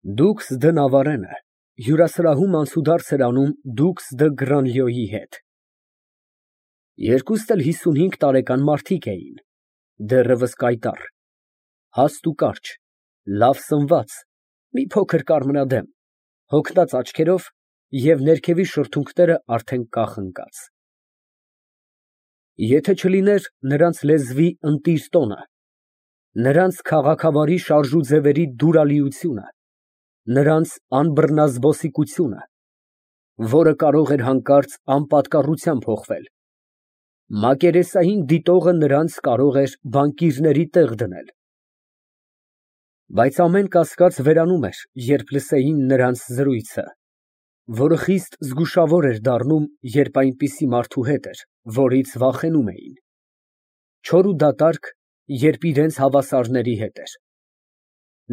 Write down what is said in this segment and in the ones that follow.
Դուքս դը Նավարենը հյուրասրահում անցուդարձ էր անում դուքս դը Գրանլյոյի հետ։ Երկուստ էլ 55 տարեկան մարդիկ էին, դեռևս կայտառ, հաստ ու կարճ, լավ սնված, մի փոքր կարմրադեմ, հոգնած աչքերով և ներքևի շրթունքները արդեն կախ ընկած։ Եթե չլիներ նրանց լեզվի ընտիր տոնը, նրանց քաղաքավարի շարժուձևերի դուրալիությունը, նրանց անբռնազբոսիկությունը, որը կարող էր հանկարծ անպատկառությամբ հոխվել, մակերեսային դիտողը նրանց կարող էր բանկիրների տեղ դնել, բայց ամեն կասկած վերանում էր, երբ լսեին նրանց զրույցը, որը խիստ զգուշավոր էր դառնում, երբ այնպիսի մարդու հետ էր, որից վախենում էին, չոր ու դատարկ, երբ իրենց հավասարների հետ էր,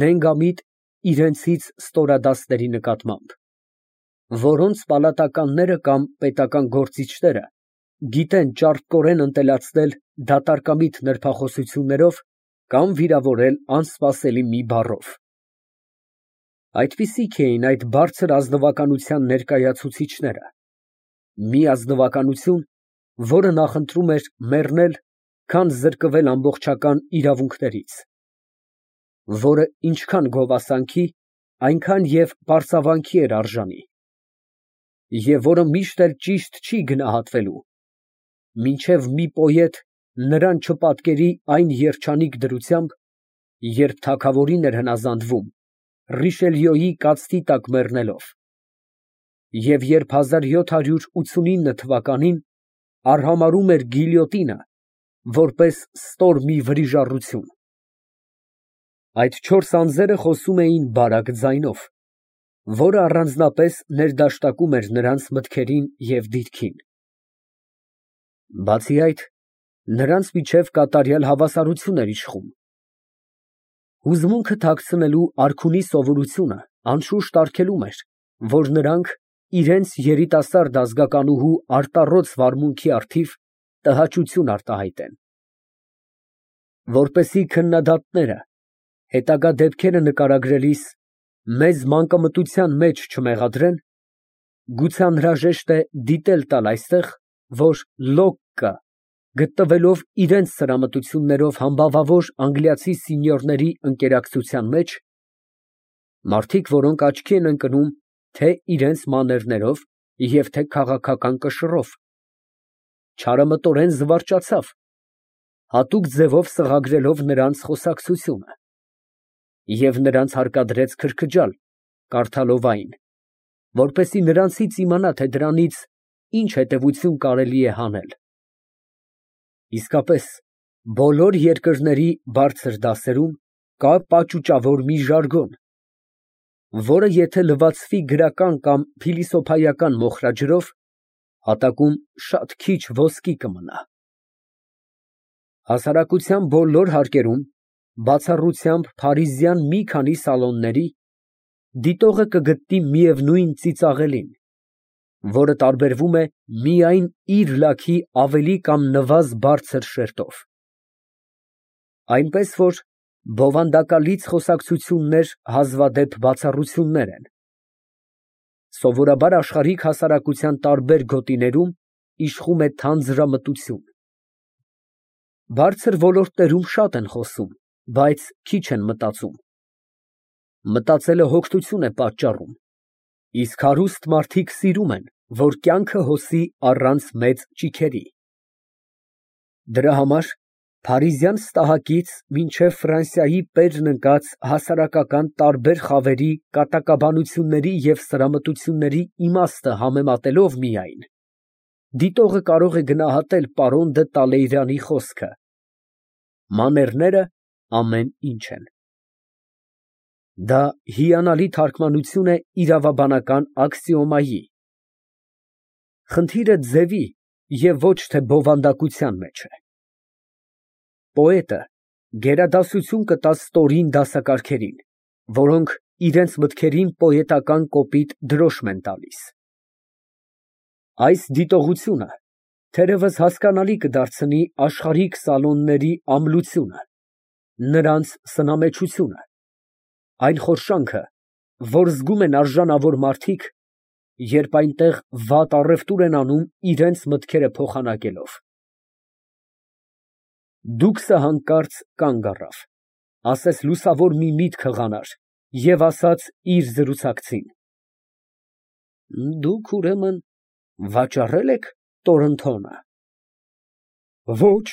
նենգամիտ իրենցից ստորադասների նկատմամբ, որոնց պալատականները կամ պետական գործիչները գիտեն ճարպկորեն ընտելացնել դատարկամիտ նրբախոսություններով կամ վիրավորել անսպասելի մի բառով։ Այդպիսիք էին այդ բարձր ազնվականության ներկայացուցիչները, մի ազնվականություն, որը նախընտրում էր մեռնել, քան զրկվել ամբողջական իրավունքներից, որը ինչքան գովասանքի, այնքան և պարծավանքի էր արժանի, և որը միշտ էլ ճիշտ չի գնահատվելու, մինչև մի պոետ նրան չպատկերի այն երջանիկ դրությամբ, երբ թագավորին էր հնազանդվում Ռիշելյոյի կաթսի տակ մեռնելով, և երբ 1789 թվականին արհամարհում էր գիլյոտինը, որպես ստոր մի վրիժառություն։ Այդ չորս անձերը խոսում էին բարակ ձայնով, որը առանձնապես ներդաշտակում էր նրանց մտքերին և դիրքին։ Բացի այդ, նրանց միջև կատարյալ հավասարություն էր իշխում։ Հուզմունքը թաքցնելու արքունի սովորությունը անշուշտ արգելում էր, որ նրանք իրենց երիտասարդ ազգականուհու արտառոց վարմունքի առթիվ տհաճություն արտահայտեն։ Որպեսզի քննադատները հետագա դեպքերը նկարագրելիս մեզ մանկամտության մեջ չմեղադրեն, գուցե անհրաժեշտ է դիտել տալ այստեղ, որ Լոկկը, գտնվելով իրենց սրամտություններով համբավավոր անգլիացի սենյորների ընկերակցության մեջ, մարդիկ, որոնք աչքի են ընկնում թե իրենց մաներներով և թե քաղաքական կշռով, չարամտորեն զվարճացավ, հատուկ ձևով սղագրելով նրանց խոսակցությունը, և նրանց հարկադրեց քրքջալ, կարդալով այն, որպեսզի նրանցից իմանա, թե դրանից ինչ հետևություն կարելի է հանել։ Իսկապես, բոլոր երկրների բարձր դասերում կա պաճուճավոր մի ժարգոն, որը եթե լվացվի գրական կամ փիլիսոփայական մոխրաջրով, հատակում շատ քիչ ոսկի կմնա։ Հասարակության բոլոր հարկերում, բացառությամբ փարիզյան մի քանի սալոնների, դիտողը կգտնի միևնույն ծիծաղելին, որը տարբերվում է միայն իր լաքի ավելի կամ նվազ բարձր շերտով։ Այնպես որ բովանդակալից խոսակցություններ հազվադեպ բացառություններ են։ Սովորաբար աշխարհիկ հասարակության տարբեր գոտիներում իշխում է թանձրամտություն։ Բարձր ոլորտներում շատ են խոսում, բայց քիչ են մտածում։ Մտածելը հոգնություն է պատճառում, իսկ հարուստ մարդիկ սիրում են, որ կյանքը հոսի առանց մեծ ճիգերի։ Դրա համար փարիզյան ստահակից մինչև Ֆրանսիայի պերն ընկած հասարակական տարբեր խավերի կատակաբանությունների և սրամտությունների իմաստը համեմատելով միայն, դիտողը կարող է գնահատել պարոն դը Տալեյրանի խոսքը. «Մաներները ամեն ինչ են»։ Դա հիանալի թարգմանություն է իրավաբանական աքսիոմայի։ Խնդիրը ձևի և ոչ թե բովանդակության մեջ է։ Պոետը գերադասություն կտա ստորին դասակարգերին, որոնք իրենց մտքերին պոետական կոպիտ դրոշմ են տալիս։ Այս դիտողությունը թերևս հասկանալի կդարձնի աշխարհիկ սալոնների ամլությունը, նրանց սնամեչությունը, այն խորշանքը, որ զգում են արժանավոր մարդիկ, երբ այնտեղ վատ առևտուր են անում իրենց մտքերը փոխանակելով։ Դուքսը հանկարծ կանգ առավ, ասես լուսավոր մի միտք հղանար և ասաց իր զրուցակցին. Դուք, ուրեմն, վաճառե՞լ եք Տորնթոնը։ Ոչ,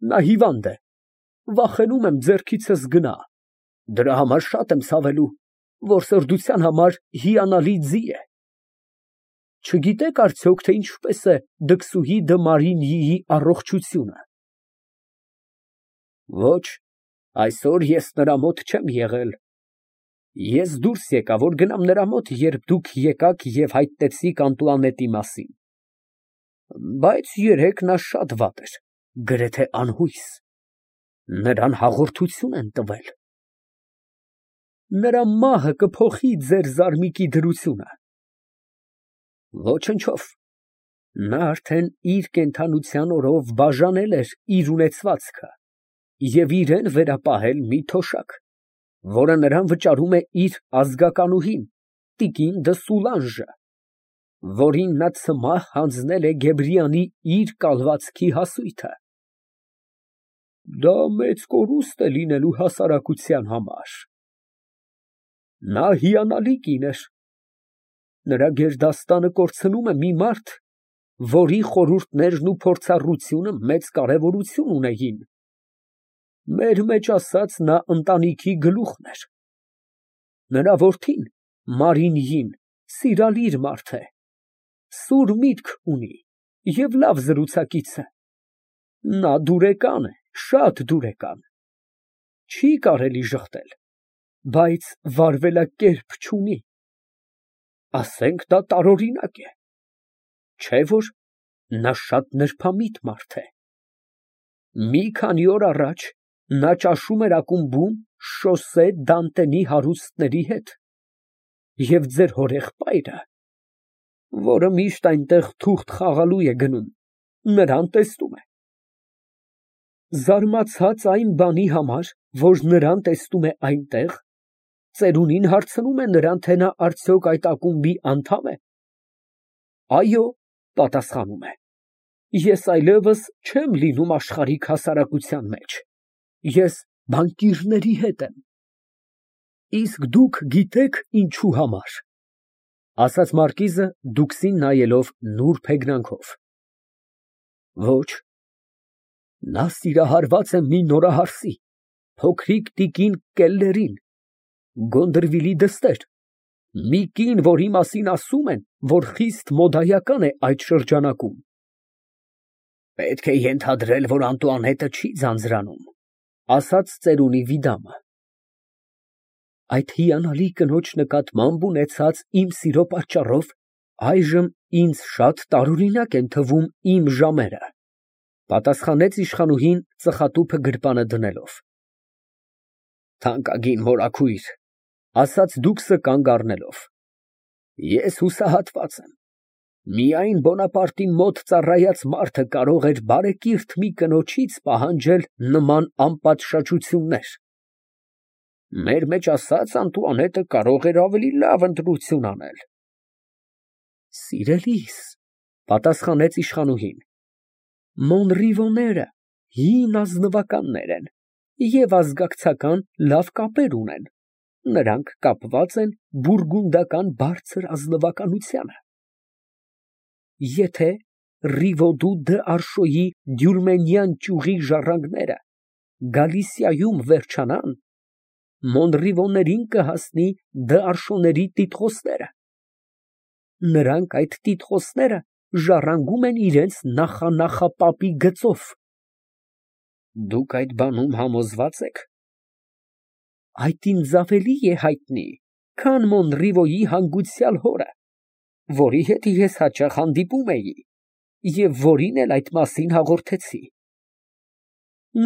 նա հիվանդ է, վախենում եմ ձեռքիցս գնա, դրա համար շատ եմ ցավելու, որ սրդության համար հիանալի ձի է։ Չգիտեք արդյոք, թե ինչպես է դքսուհի Դը Մարինյիի առողջությունը։ Ոչ, այսօր ես նրա մոտ չեմ եղել։ Ես դուրս եկա, որ գնամ նրա մոտ, երբ դուք եկաք և հայտնեցիք Անտուանետի մասին։ Բայց երեկ նա շատ վատ էր, գրեթե անհույս։ Նրան հաղորդություն են տվել։ Նրա մահը կփոխի ձեր զարմիկի դրությունը։ Ոչնչով, նա արդեն իր կենդանության օրով բաժանել էր իր ունեցվածքը և իրան վերապահել մի թոշակ, որը նրան վճարում է իր ազգականուհին, տիկին Դը Սուլանժը, որին նա ցմահ հանձնել է Գեբրիանի իր կալվածքի հասույթը։ Դա մեծ կորուստ է լինելու հասարակության համար։ Նա հիանալի կին էր։ Նրա գերդաստանը կորցնում է մի մարդ, որի խորհուրդներն ու փորձառությունը մեծ կարևորություն ունեին։ Մեր մեջ ասած, նա ընտանիքի գլուխն էր։ Նրա որդին, Մարինյին, սիրալիր մարդ է, սուր միտք ունի և լավ զրուցակից է։ Նա դուրեկան է, շատ դուրեկան։ Չի կարելի ժխտել, բայց վարվելակերպ չունի։ Ասենք դա տարօրինակ է, չէ՞ որ նա շատ նրբամիտ մարդ է։ Մի քանի օր առաջ նա ճաշում էր ակումբում Շոսե Դանտենի հարուստների հետ, և ձեր հորեղբայրը, որը միշտ այնտեղ թուղթ խաղալու է գնում, նրան տեսնում է։ Զարմացած այն բանի համար, որ նրան տեսնում է այնտեղ, ծերունին հարցնում է նրան, թե նա արդյոք այդ ակումբի անդամ է։ Այո, պատասխանում է, ես այլևս չեմ լինում աշխարհիկ հասարակության մեջ, ես բանկիրների հետ եմ։ Իսկ դուք գիտեք ինչի համար, ասաց մարկիզը դուքսին նայելով նուրբ հեգնանքով։ Ոչ, նա սիրահարված է մի նորահարսի, փոքրիկ տիկին Կելլերին, Գոնդրվիլի դստեր, մի կին, որի մասին ասում են, որ խիստ մոդայական է այդ շրջանակում։ Պետք է ենթադրել, որ Անտուանետը չի ձանձրանում, ասաց ծերունի Վիդամը։ Այդ հիանալի կնոջ նկատմամբ ունեցած իմ սիրո պատճառով այժմ ինձ շատ տարօրինակ են թվում իմ ժամերը, պատասխանեց իշխանուհին ծխատուփը գրպանը դնելով։ Թանկագին մորաքույր, ասաց դուքսը կանգ առնելով, ես հուսահատված եմ։ Միայն Բոնապարտի մոտ ծառայած մարդը կարող էր բարեկիրթ մի կնոջից պահանջել նման անպատշաճություններ։ Մեր մեջ ասած, Անտուանետը կարող էր ավելի լավ ընտրություն անել։ Սիրելիս, պատասխանեց իշխանուհին, Մոնրիվոները հին ազնվականներ են և ազգակցական լավ կապեր ունեն, նրանք կապված են բուրգունդական բարձր ազնվականությանը։ Եթե Ռիվոդու դ'Արշոյի դյուրմենյան ճյուղի ժառանգները Գալիսիայում վերջանան, Մոնրիվոներին կհասնի Դ'Արշոների տիտղոսները։ Նրանք այդ տիտղոսները ժառանգում են իրենց նախանախապապի գծով։ Դուք այդ բանում համոզվա՞ծ եք։ Այդ ինձ ավելի է հայտնի, քան Մոնրիվոյի հանգուցյալ հորը, որի հետ ես հաճախ հանդիպում էի և որին էլ այդ մասին հաղորդեցի։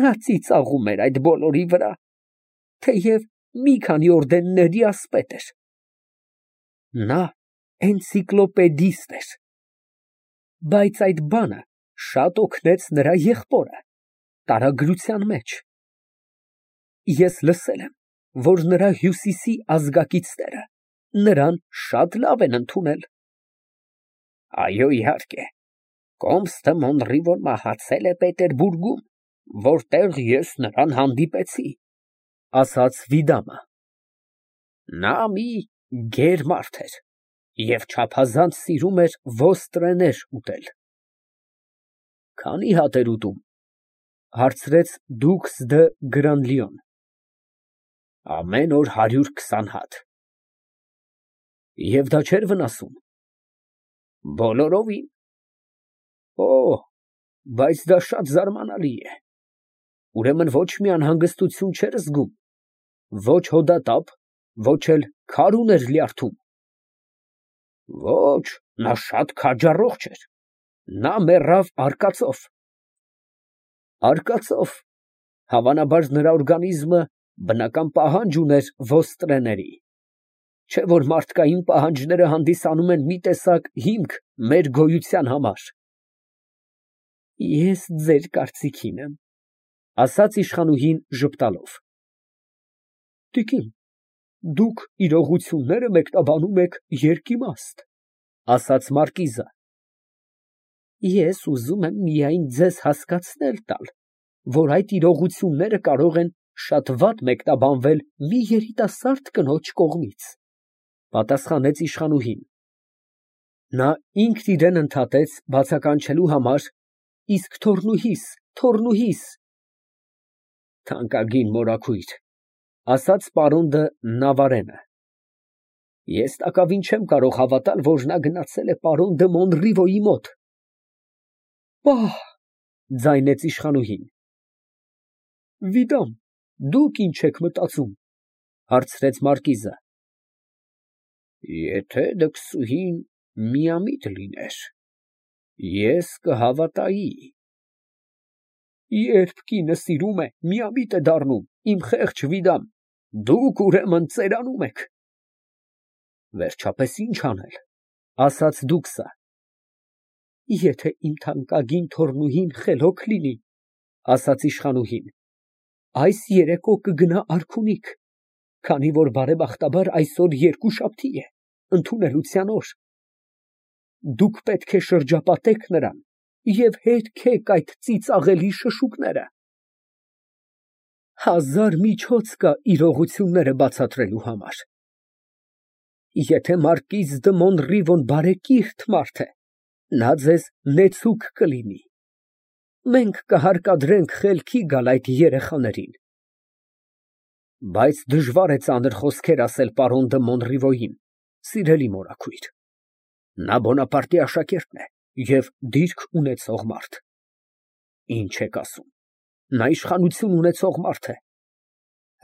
Նա ծիծաղում էր այդ բոլորի վրա, թեև մի քանի օրդենների ասպետ էր։ Նա էնցիկլոպեդիստ էր։ Բայց այդ բանը շատ օգնեց նրա եղբորը տարագրության մեջ։ Ես լսել եմ, որ նրա հյուսիսի ազգակիցները նրան շատ լավ են ընդունել։ Այո, իհարկե, Կոմստը Մոնրիվոն մահացել է Պետերբուրգում, որտեղ ես նրան հանդիպեցի, ասաց Վիդամը։ նա մի գեր մարդ էր և չափազանց սիրում էր ոստրեներ ուտել։ Քանի հատ էր ուտում, հարցրեց դուքս դը Գրանլյոն։ Ամեն օր 120 հատ։ Եվ դա չէր վնասում։ Բոլորովին։ Օ, բայց դա շատ զարմանալի է։ Ուրեմն ոչ մի անհանգստություն չէր զգում, ոչ հոդատապ, ոչ էլ քար ուներ լյարդում։ Ոչ, նա շատ քաջառողջ էր, նա մեռավ արկածով։ Արկածով, հավանաբար նրա օրգանիզմը բնական պահանջ ուներ ոստրեների, չէ որ մարդկային պահանջները հանդիսանում են մի տեսակ հիմք մեր գոյության համար։ Ես ձեր կարծիքին եմ, ասաց իշխանուհին ժպտալով։ Տիկին, դուք իրողությունները մեկնաբանում եք երկիմաստ, ասաց մարկիզը։ Ես ուզում եմ միայն ձեզ հասկացնել տալ, որ այդ իրողությունները կարող են շատ վատ մեկնաբանվել մի երիտասարդ կնոջ կողմից, պատասխանեց իշխանուհին։ Նա ինքն իրեն ընդհատեց բացականչելու համար. Իսկ թոռնուհիս։ Թանկագին մորաքույր, ասաց պարոն դը Նավարենը։ Ես տակավին չեմ կարող հավատալ, որ նա գնացել է պարոն դը Մոնրիվոյի մոտ։ Պահ, ձայնեց իշխանուհին։ Վիդամ, դուք ինչ եք մտածում, հարցրեց մարկիզը։ Եթե դքսուհին միամիտ լիներ, ես կհավատայի։ Երբ կինը սիրում է, միամիտ է դառնում, իմ խեղճ Վիդամ, դուք ուրեմն ծերանում եք։ Վերջապես ինչ անել, ասաց դուքսը։ Եթե իմ թանկագին թոռնուհին խելոք լինի, ասաց իշխանուհին, այս երեկո կգնա արքունիք, քանի որ բարեբախտաբար այսօր երկուշաբթի է, ընդունելության օր։ Դուք պետք է շրջապատեք նրան և հերքեք այդ ծիծաղելի շշուկները։ Հազար միջոց կա իրողությունները բացատրելու համար։ Եթե մարկիզ դը Մոնրիվոն բարեկիրթ մարդ է, նա ձեզ նեցուկ կլինի։ Մենք կհարկադրենք խելքի գալ այդ երեխաներին։ Բայց դժվար է ծանր խոսքեր ասել պարոն դը Մոնրիվոյին, սիրելի մորաքույր։ Նա Բոնապարտի աշակերտն է և դիրք ունեցող մարդ։ Ինչ եք ասում, նա իշխանություն ունեցող մարդ է։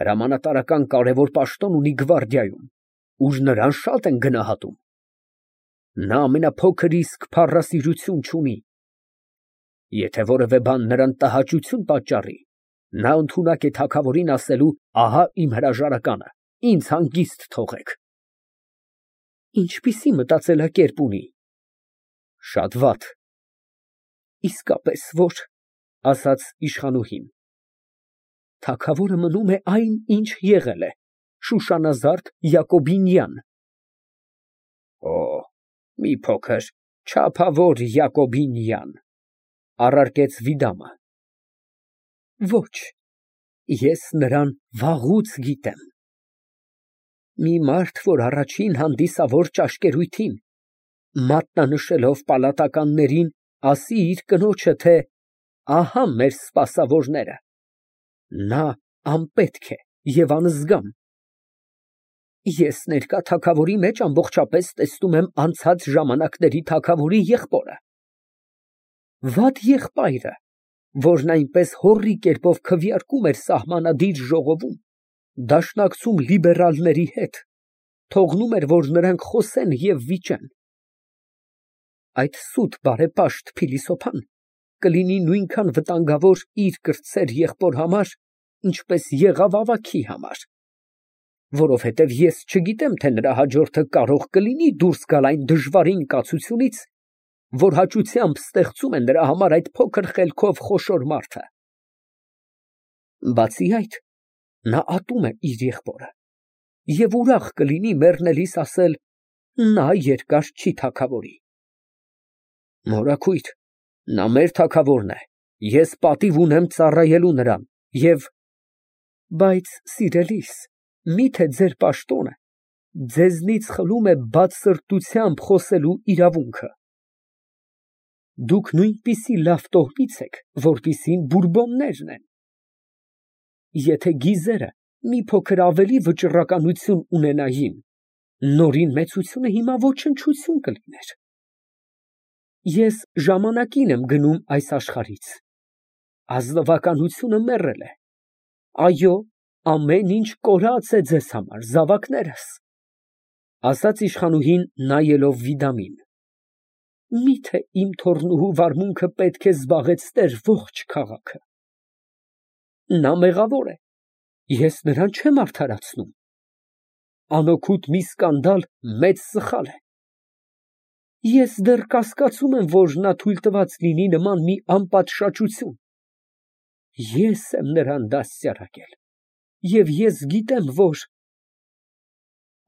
Հրամանատարական կարևոր պաշտոն ունի գվարդիայում, ուր նրան շատ են գնահատում։ Նա ամենափոքր իսկ փառասիրություն չունի։ Եթե որևէ բան նրան տհաճություն պատճառի, նա ընդունակ է թագավորին ասելու. ահա իմ հրաժարականը, ինձ հանգիստ թողեք։ Ինչպիսի մտածելակերպ ունի։ Շատ վատ։ Իսկապես որ, ասաց իշխանուհին։ Թագավորը մնում է այն, ինչ եղել է, շուշանազարդ Յակոբինյան։ Օ, մի փոքր չափավոր Յակոբինյան, առարկեց Վիդամը։ Ոչ, ես նրան վաղուց գիտեմ։ Մի մարդ, որ առաջին հանդիսավոր ճաշկերույթին, մատնանշելով պալատականներին, ասի իր կնոջը, թե ահա մեր սպասավորները, նա անպետք է և անզգամ։ Ես ներկա թագավորի մեջ ամբողջապես տեսնում եմ անցած ժամանակների թագավորի եղբորը։ Վատ եղբայրը, որն այնպես հոռի կերպով քվեարկում էր սահմանադիր ժողովում, դաշնակցում լիբերալների հետ, թողնում էր, որ նրանք խոսեն և վիճեն։ Այդ սուտ բարեպաշտ փիլիսոփան կլինի նույնքան վտանգավոր իր կրտսեր եղբոր համար, ինչպես եղավ ավագի համար, որովհետև ես չգիտեմ, թե նրա հաջորդը կարող կլինի դուրս գալ այն դժվարին կացությունից, որ հաճությամբ ստեղծում է նրա համար այդ փոքր խելքով խոշոր մարդը։ Բացի այդ, նա ատում է իր եղբորը Եվ ուրախ կլինի մեռնելիս ասել. նա երկար չի թագավորի։ Մորաքույր, նա մեր թագավորն է, ես պատիվ ունեմ ծառայելու նրան և… Բայց, սիրելիս, միթե ձեր պաշտոնը ձեզնից խլում է բացսրտությամբ խոսելու իրավունքը։ Դուք նույնպիսի լավ տոհմից եք, որպիսին Բուրբոններն են։ Եթե գիզերը մի փոքր ավելի վճռականություն ունենային, նորին մեծությունը հիմա ոչնչություն կլիներ։ Ես ժամանակին եմ գնում այս աշխարհից, ազնվականությունը մեռել է, այո, ամեն ինչ կորած է ձեզ համար, զավակներս, իշխանուհին նայելով Վիդամին, միթե իմ թոռնուհու վարմունքը պետք է զբաղեցներ ողջ քաղաքը։ Նա մեղավոր է, ես նրան չեմ արդարացնում, անօգուտ մի սկանդալ մեծ սխալ է։ Ես դեռ կասկածում եմ, որ նա թույլ տված լինի նման մի անպատշաճություն։ Ես եմ նրան դաստիարակել, և ես գիտեմ, որ…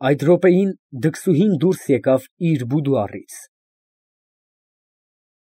Այդ րոպեին դքսուհին դուրս եկավ իր բուդուարից։